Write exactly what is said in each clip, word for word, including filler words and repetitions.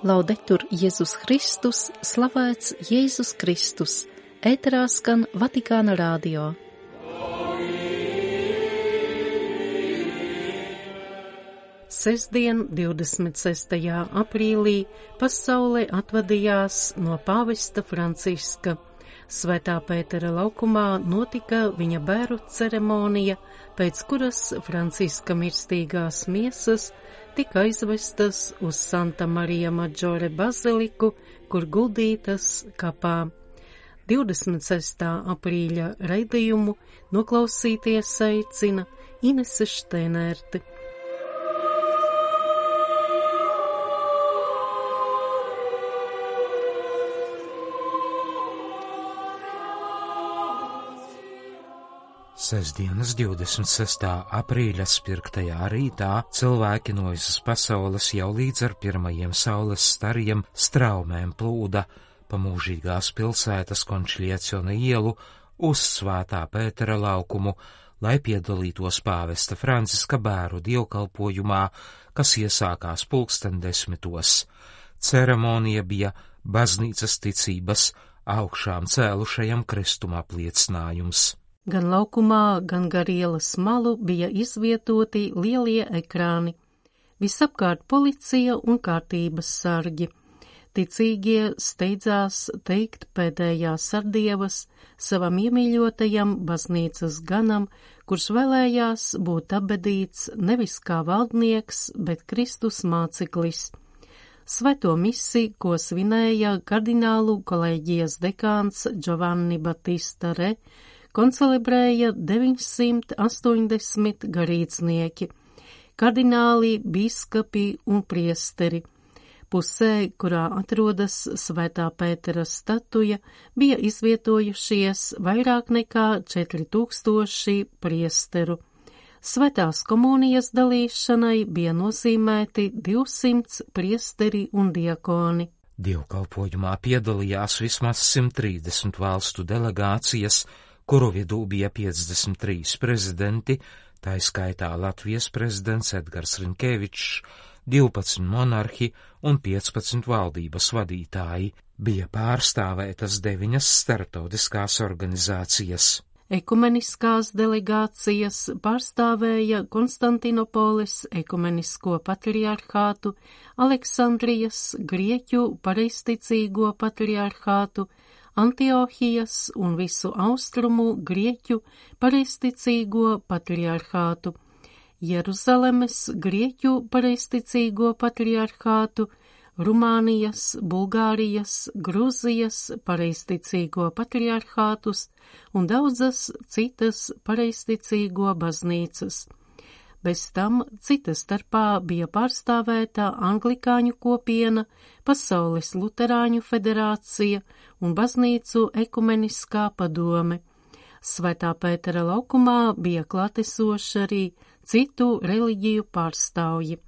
Laudetur Jēzus Kristus, slavēts Jēzus Kristus, ēterā skan Vatikāna radio. Sestdien, divdesmit sestajā aprīlī, pasaule atvadījās no pāvesta Franciska. Svētā Pētera laukumā notika viņa bēru ceremonija, pēc kuras Franciska mirstīgās miesas tika aizvestas uz Santa Marija Maggiore baziliku, kur guldītas kapā. divdesmit sestā aprīļa raidījumu noklausīties aicina Inese Šteinerte. Sestdienas divdesmit sestā aprīļa spirgtajā rītā cilvēki no visas pasaules jau līdz ar pirmajiem saules stariem straumēm plūda pa mūžīgās pilsētas Končlieciona ielu uz Svētā Pētera laukumu, lai piedalītos pāvesta Franciska bēru dievkalpojumā, kas iesākās pulksten desmitos. Ceremonija bija baznīcas ticības augšām cēlušajam kristuma apliecinājums. Gan laukumā, gan gar ielas malu bija izvietoti lielie ekrāni. Visapkārt policija un kārtības sargi. Ticīgie steidzās teikt pēdējās sardievas savam iemīļotajam baznīcas ganam, kurš vēlējās būt apbedīts nevis kā valdnieks, bet Kristus māceklis. Svēto misi, ko svinēja kardinālu kolēģijas dekāns Giovanni Battista Re, koncelebrēja deviņsimt astoņdesmit garīdznieki, kardināli, bīskapi un priesteri. Pusē, kurā atrodas Svētā Pētera statuja, bija izvietojušies vairāk nekā četri tūkstoši priesteru. Svētās komunijas dalīšanai bija nozīmēti divsimt priesteri un diakoni. Dievkalpojumā piedalījās vismaz simt trīsdesmit valstu delegācijas, kuru vidū bija piecdesmit trīs prezidenti, tā skaitā Latvijas prezidents Edgars Rinkevičs, divpadsmit monarhi un piecpadsmit valdības vadītāji. Bija pārstāvētas deviņas starptautiskās organizācijas. Ekumeniskās delegācijas pārstāvēja Konstantinopoles ekumenisko patriarhātu, Aleksandrijas Grieķu pareizticīgo patriarhātu, Antiohijas un visu austrumu Grieķu pareizticīgo patriarhātu, Jeruzalemes Grieķu pareizticīgo patriarhātu, Rumānijas, Bulgārijas, Gruzijas pareizticīgo patriarhātus un daudzas citas pareizticīgo baznīcas. Bez tam cita starpā bija pārstāvēta Anglikāņu kopiena, Pasaules luterāņu federācija un baznīcu ekumeniskā padome. Svētā Pētera laukumā bija klātesoši arī citu reliģiju pārstāvji –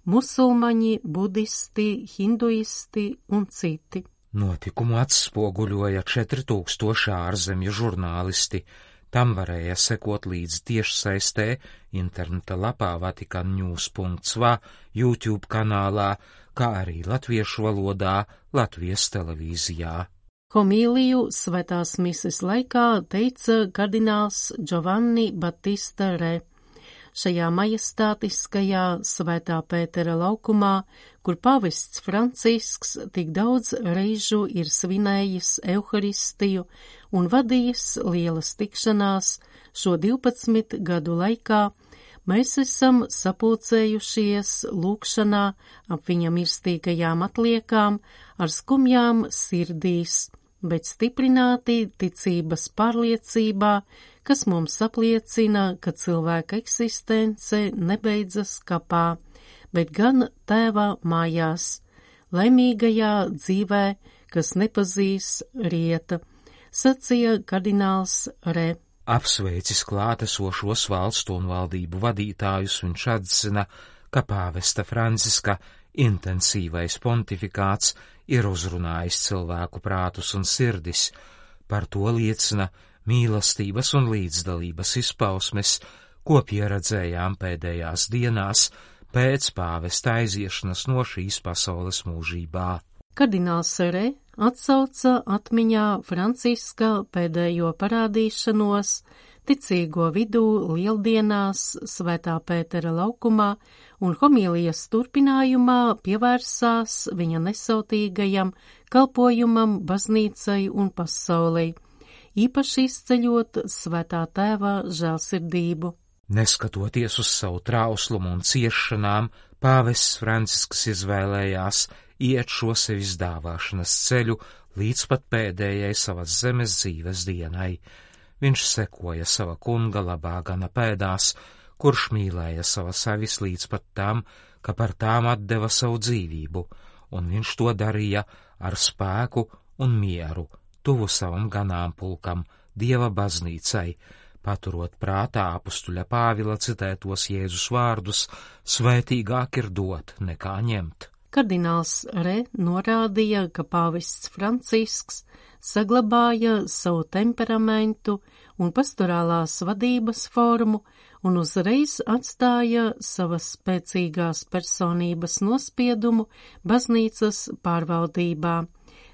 musulmaņi, budisti, hinduisti un citi. Notikumu atspoguļoja četri tūkstoši ārzemju žurnālisti. Tam varēja sekot līdz tiešsaistē, interneta lapā vatikan news punkts v, YouTube kanālā, kā arī latviešu valodā Latvijas televīzijā. Homīliju svētās mises laikā teica kardināls Giovanni Battista Re. Šajā majestātiskajā Svētā Pētera laukumā, kur pāvests Francisks tik daudz reižu ir svinējis Euharistiju un vadījis lielas tikšanās šo divpadsmit gadu laikā, mēs esam sapulcējušies lūgšanā ap viņa mirstīgajām atliekām ar skumjām sirdīs, bet stiprināti ticības pārliecībā, kas mums apliecina, ka cilvēka eksistence nebeidzas kapā, bet gan Tēva mājās, laimīgajā dzīvē, kas nepazīs rieta, sacīja kardināls Re. Apsveicis klātesošos valstu un valdību vadītājus, viņš atzina, ka pāvesta Franciska intensīvais pontifikāts ir uzrunājis cilvēku prātus un sirdis. Par to liecina mīlestības un līdzdalības izpausmes, ko pieredzējām pēdējās dienās pēc pāvesta aiziešanas no šīs pasaules mūžībā. Kardināls Re atsauca atmiņā Franciska pēdējo parādīšanos ticīgo vidū lieldienās Svētā Pētera laukumā un homīlijas turpinājumā pievērsās viņa nesautīgajam kalpojumam baznīcai un pasaulei, īpaši izceļot Svētā Tēva žēlsirdību. Neskatoties uz savu trauslumu un ciešanām, pāvests Francisks izvēlējās iet šo sevis dāvāšanas ceļu līdz pat pēdējai savas zemes dzīves dienai. Viņš sekoja sava kunga labā gana pēdās, kurš mīlēja savas avis līdz pat tam, ka par tām atdeva savu dzīvību, un viņš to darīja ar spēku un mieru, tuvu savam ganāmpulkam, Dieva baznīcai, paturot prātā apustuļa Pāvila citētos Jēzus vārdus: svētīgāk ir dot nekā ņemt. Kardināls Re norādīja, ka pāvests Francisks saglabāja savu temperamentu un pastorālās vadības formu un uzreiz atstāja savas spēcīgās personības nospiedumu baznīcas pārvaldībā,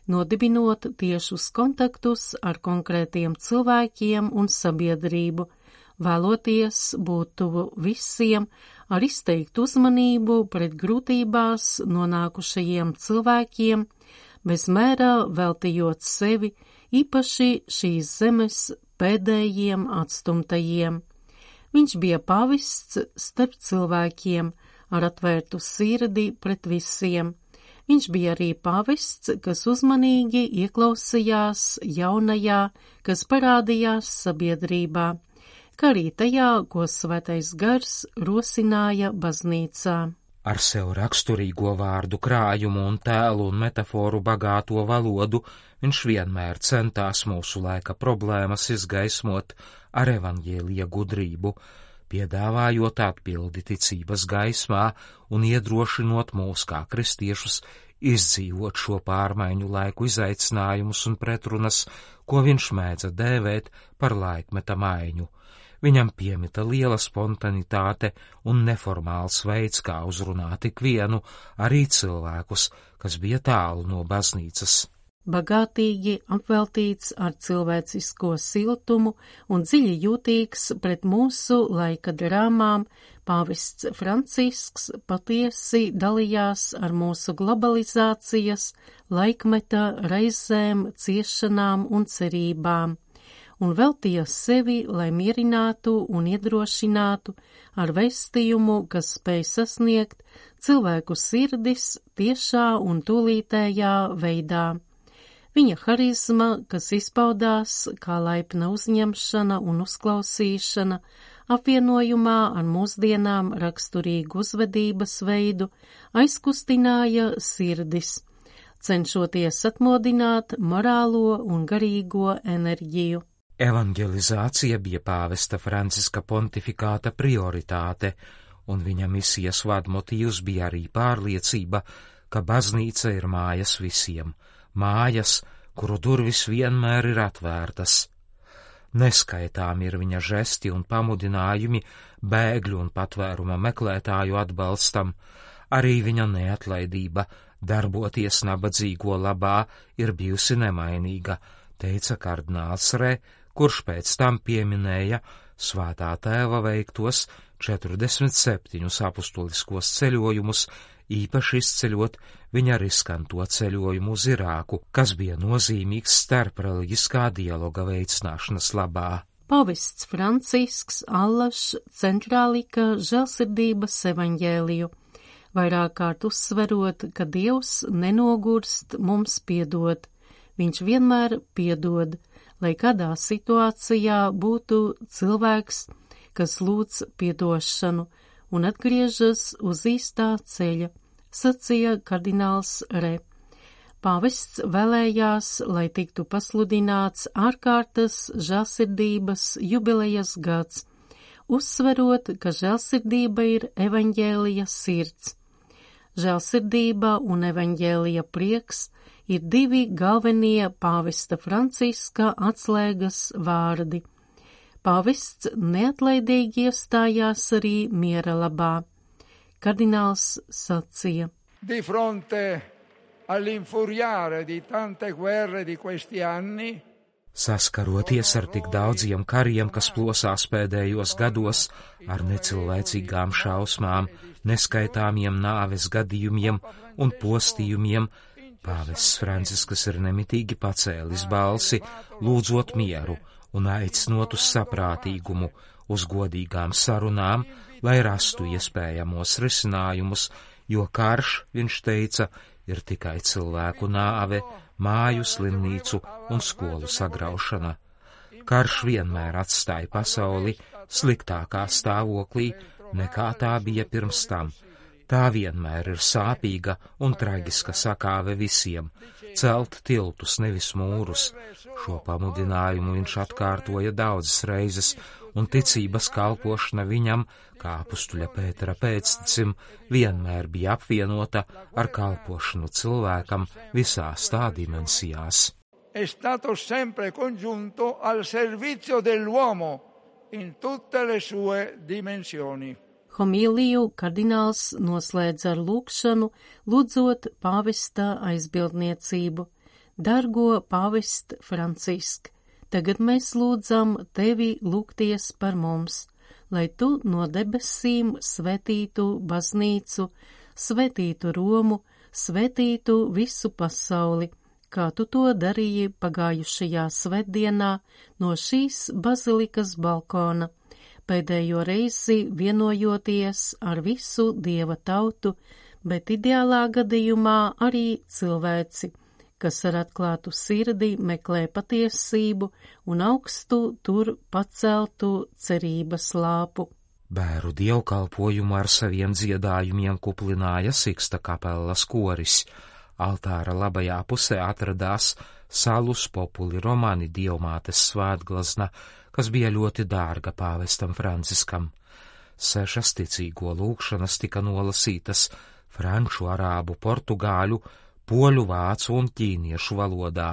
nodibinot tiešus kontaktus ar konkrētiem cilvēkiem un sabiedrību, vēloties būt tuvu visiem ar izteiktu uzmanību pret grūtībās nonākušajiem cilvēkiem, bez mērā veltījot sevi īpaši šīs zemes pēdējiem atstumtajiem. Viņš bija pavists starp cilvēkiem ar atvērtu sirdi pret visiem. Viņš bija arī pavists, kas uzmanīgi ieklausījās jaunajā, kas parādījās sabiedrībā, kā arī tajā, ko Svētais Gars rosināja baznīcā. Ar sev raksturīgo vārdu krājumu un tēlu un metaforu bagāto valodu viņš vienmēr centās mūsu laika problēmas izgaismot ar evaņģēlija gudrību, piedāvājot atbildi ticības gaismā un iedrošinot mūs kā kristiešus izdzīvot šo pārmaiņu laiku izaicinājumus un pretrunas, ko viņš mēdza dēvēt par laikmeta maiņu. Viņam piemita liela spontanitāte un neformāls veids, kā uzrunāt ikvienu, arī cilvēkus, kas bija tālu no baznīcas. Bagātīgi apveltīts ar cilvēcisko siltumu un dziļi jūtīgs pret mūsu laika drāmām, pāvests Francisks patiesi dalījās ar mūsu globalizācijas, laikmeta reizēm, ciešanām un cerībām, un veltīja sevi, lai mierinātu un iedrošinātu ar vēstījumu, kas spēj sasniegt cilvēku sirdis tiešā un tūlītējā veidā. Viņa harizma, kas izpaudās kā laipna uzņemšana un uzklausīšana, apvienojumā ar mūsdienām raksturīgu uzvedības veidu, aizkustināja sirdis, cenšoties atmodināt morālo un garīgo enerģiju. Evangelizācija bija pāvesta Franciska pontifikāta prioritāte, un viņa misijas vadmotīvs bija arī pārliecība, ka baznīca ir mājas visiem, mājas, kuru durvis vienmēr ir atvērtas. Neskaitām ir viņa žesti un pamudinājumi bēgļu un patvēruma meklētāju atbalstam, arī viņa neatlaidība darboties nabadzīgo labā ir bijusi nemainīga, teica kardināls Re, kurš pēc tam pieminēja Svētā Tēva veiktos četrdesmit septiņus apustuliskos ceļojumus, īpaši izceļot viņa riskanto ceļojumu uz Irāku, kas bija nozīmīgs starpreliģiskā dialoga veicināšanas labā. Pavests Francisks allaž centrā lika žēlsirdības evaņģēliju, vairāk kārt uzsverot, ka Dievs nenogurst mums piedot. Viņš vienmēr piedod, lai kādā situācijā būtu cilvēks, kas lūdz piedošanu un atgriežas uz īstā ceļa, sacīja kardināls Re. Pāvests vēlējās, lai tiktu pasludināts ārkārtas žēlsirdības jubilejas gads, uzsverot, ka žēlsirdība ir evaņģēlija sirds. Žēlsirdība un evaņģēlija prieks ir divi galvenie pāvesta Franciska atslēgas vārdi. Pāvests neatlaidīgi iestājās arī miera labā. Kardināls sacīja: Di fronte all'infuriare di tante guerre di questi anni, saskaroties ar tik daudziem kariem, kas plosās pēdējos gados, ar necilvēcīgām šausmām, neskaitāmiem nāves gadījumiem un postījumiem, pāvests Francisks ir nemitīgi pacēlis balsi, lūdzot mieru un aicinot uz saprātīgumu, uz godīgām sarunām, lai rastu iespējamos risinājumus, jo karš, viņš teica, ir tikai cilvēku nāve, māju, slimnīcu un skolu sagraušana. Karš vienmēr atstāja pasauli sliktākā stāvoklī, nekā tā bija pirms tam. Tā vienmēr ir sāpīga un traģiska sakāve visiem - celt tiltus, nevis mūrus. Šo pamudinājumu viņš atkārtoja daudzas reizes, un ticības kalpošana viņam, kā apustuļa Pētera pēctecim, vienmēr bija apvienota ar kalpošanu cilvēkam visās tā dimensijās. È stato sempre congiunto al servizio dell'uomo in tutte le sue dimensioni. Homīliju kardināls noslēdz ar lūgšanu, lūdzot pāvesta aizbildniecību. Dargo pāvest Francisk, tagad mēs lūdzam tevi lūgties par mums, lai tu no debesīm svētītu baznīcu, svētītu Romu, svētītu visu pasauli, kā tu to darīji pagājušajā svētdienā no šīs bazilikas balkona, pēdējo reizi vienojoties ar visu Dieva tautu, bet ideālā gadījumā arī cilvēci, kas ar atklātu sirdi meklē patiesību un augstu tur paceltu cerības lāpu. Bēru dievkalpojumu ar saviem dziedājumiem kuplināja Siksta kapelas koris. Altāra labajā pusē atradās Salus Populi Romani dievmātes svētglazna, kas bija ļoti dārga pāvestam Franciskam. Sešas ticīgo lūgšanas tika nolasītas franču, arābu, portugāļu, poļu, vācu un ķīniešu valodā,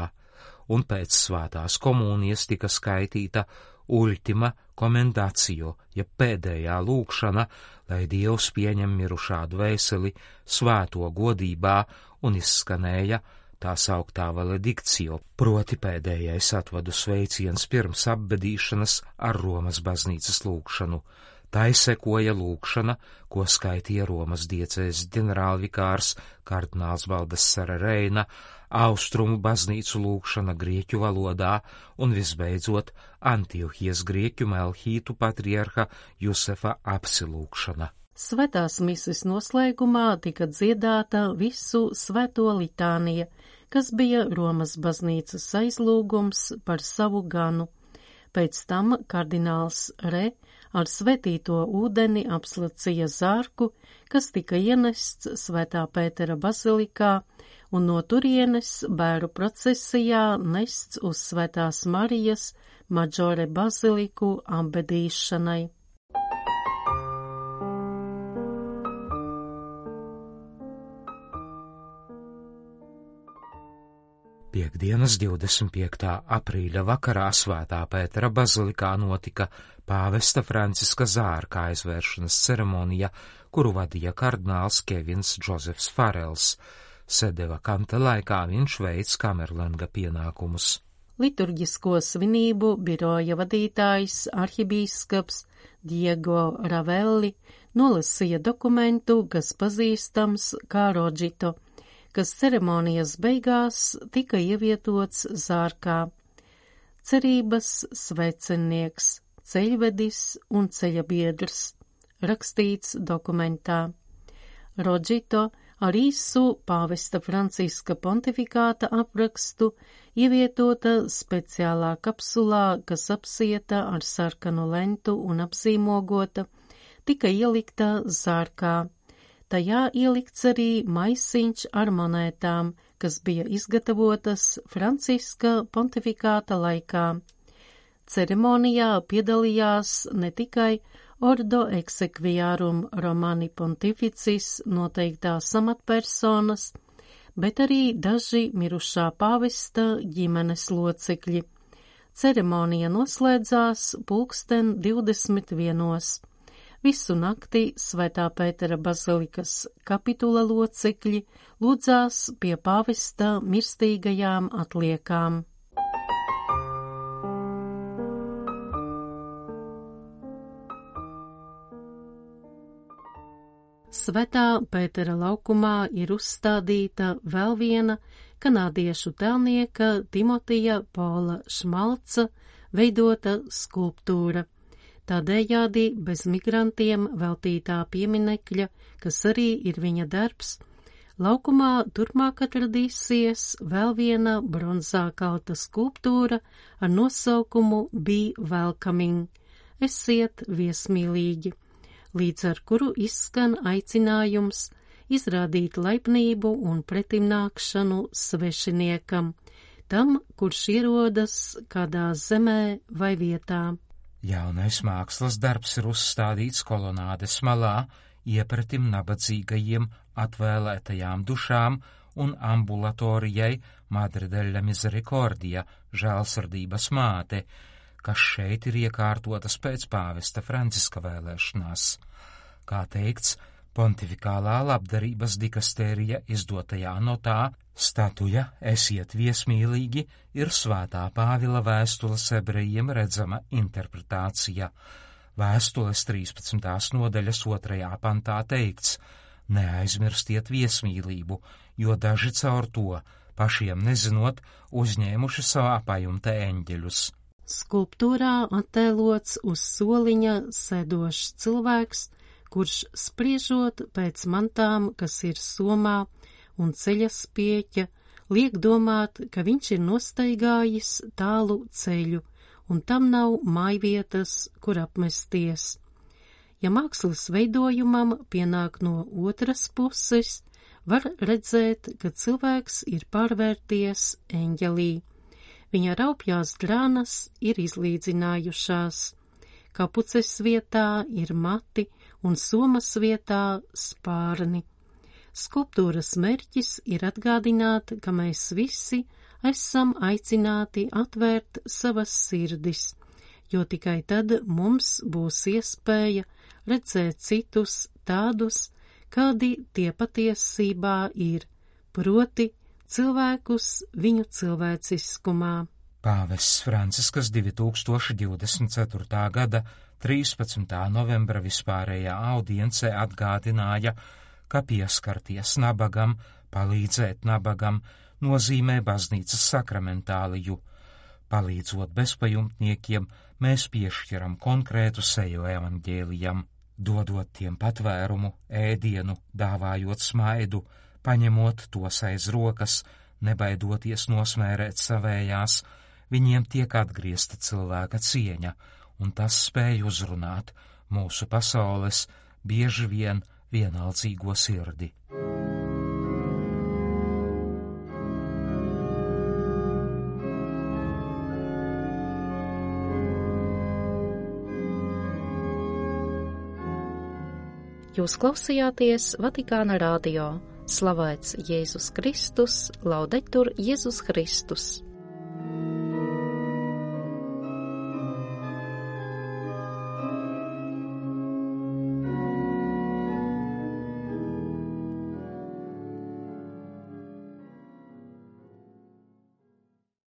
un pēc svētās komunijas tika skaitīta ultima commendatio, ja pēdējā lūgšana, lai Dievs pieņem mirušā dvēseli svēto godībā, un izskanēja tā sauktā valedikcio, proti pēdējais atvadu sveiciens pirms apbedīšanas ar Romas baznīcas lūgšanu. Tai sekoja lūgšana, ko skaitīja Romas diecēs ģenerālvikārs kardināls Baldesara Reina, austrumu baznīcu lūgšana grieķu valodā un visbeidzot Antiohijas grieķu Melhītu patriarha Jusefa apsilūgšana. Svētās mises noslēgumā tika dziedāta visu svēto litānija, kas bija Romas baznīcas aizlūgums par savu ganu. Pēc tam kardināls Re ar svētīto ūdeni apslacīja zārku, kas tika ienests Svētā Pētera bazilikā, un no turienes bēru procesijā nests uz Svētās Marijas Maģore baziliku apbedīšanai. Piektdienas divdesmit piektā aprīļa vakarā Svētā Pētera bazilikā notika pāvesta Franciska zārka aizvēršanas ceremonija, kuru vadīja kardināls Kevins Džozefs Farels. Sedeva kanta laikā viņš veic kamerlenga pienākumus. Liturģisko svinību biroja vadītājs arhibīskaps Diego Ravelli nolasīja dokumentu, kas pazīstams kā Rodžito, kas ceremonijas beigās tika ievietots zārkā. Cerības svecenieks, ceļvedis un ceļabiedrs, rakstīts dokumentā. Rodžito ar īsu pāvesta Franciska pontifikāta aprakstu ievietota speciālā kapsulā, kas apsieta ar sarkanu lentu un apzīmogota, tika ielikta zārkā. Tajā ielikts arī maisiņš ar monētām, kas bija izgatavotas Franciska pontifikāta laikā. Ceremonijā piedalījās ne tikai Ordo Exequiarum Romani Pontificis noteiktās amatpersonas, bet arī daži mirušā pāvesta ģimenes locekļi. Ceremonija noslēdzās pulksten divdesmit vienos. Visu nakti Svētā Pētera bazilikas kapitula locekļi lūdzās pie pāvesta mirstīgajām atliekām. Svētā Pētera laukumā ir uzstādīta vēl viena kanādiešu tēlnieka Timotija Pola Šmalca veidota skulptūra. Tādējādi bez migrantiem veltītā pieminekļa, kas arī ir viņa darbs, laukumā turpmāk atradīsies vēl viena bronzā kalta skulptūra ar nosaukumu Be Welcoming – esiet viesmīlīgi, līdz ar kuru izskan aicinājums izrādīt laipnību un pretimnākšanu svešiniekam, tam, kurš ierodas kādā zemē vai vietā. Jaunais mākslas darbs ir uzstādīts kolonādes malā, iepratim nabadzīgajiem atvēlētajām dušām un ambulatorijai Madre della Misericordia, žēlsirdības māte, kas šeit ir iekārtotas pēc pāvesta Franciska vēlēšanās. Kā teikts, pontifikālā labdarības dikastērija izdotajā notā statuja Esiet viesmīlīgi ir Svētā Pāvila vēstules ebrejiem redzama interpretācija. Vēstules trīspadsmitās nodaļas otrajā pantā teikts: neaizmirstiet viesmīlību, jo daži caur to, pašiem nezinot, uzņēmuši savā pajumta eņģeļus. Skulptūrā attēlots uz soliņa sēdošs cilvēks, kurš spriežot pēc mantām, kas ir somā un ceļa spieķa, liek domāt, ka viņš ir nostaigājis tālu ceļu, un tam nav mājvietas, kur apmesties. Ja mākslas veidojumam pienāk no otras puses, var redzēt, ka cilvēks ir pārvērties eņģelī. Viņa raupjās drānas ir izlīdzinājušās. Kapuces vietā ir mati un somas vietā spārni. Skulptūras mērķis ir atgādināt, ka mēs visi esam aicināti atvērt savas sirdis, jo tikai tad mums būs iespēja redzēt citus tādus, kādi tie patiesībā ir, proti cilvēkus viņu cilvēciskumā. Pāvests Francisks divi tūkstoši divdesmit ceturtā gada trīspadsmitā novembra vispārējā audiencē atgādināja, ka pieskarties nabagam, palīdzēt nabagam, nozīmē baznīcas sakramentāliju. Palīdzot bezpajumtniekiem, mēs piešķiram konkrētu seju evaņģēlijam, dodot tiem patvērumu, ēdienu, dāvājot smaidu, paņemot tos aiz rokas, nebaidoties nosmērēt savējās, viņiem tiek atgriezta cilvēka cieņa, un tas spēj uzrunāt mūsu pasaules bieži vien vienaldzīgo sirdi. Jūs klausījāties Vatikāna radio. Slavēts Jēzus Kristus, laudetur Jēzus Kristus.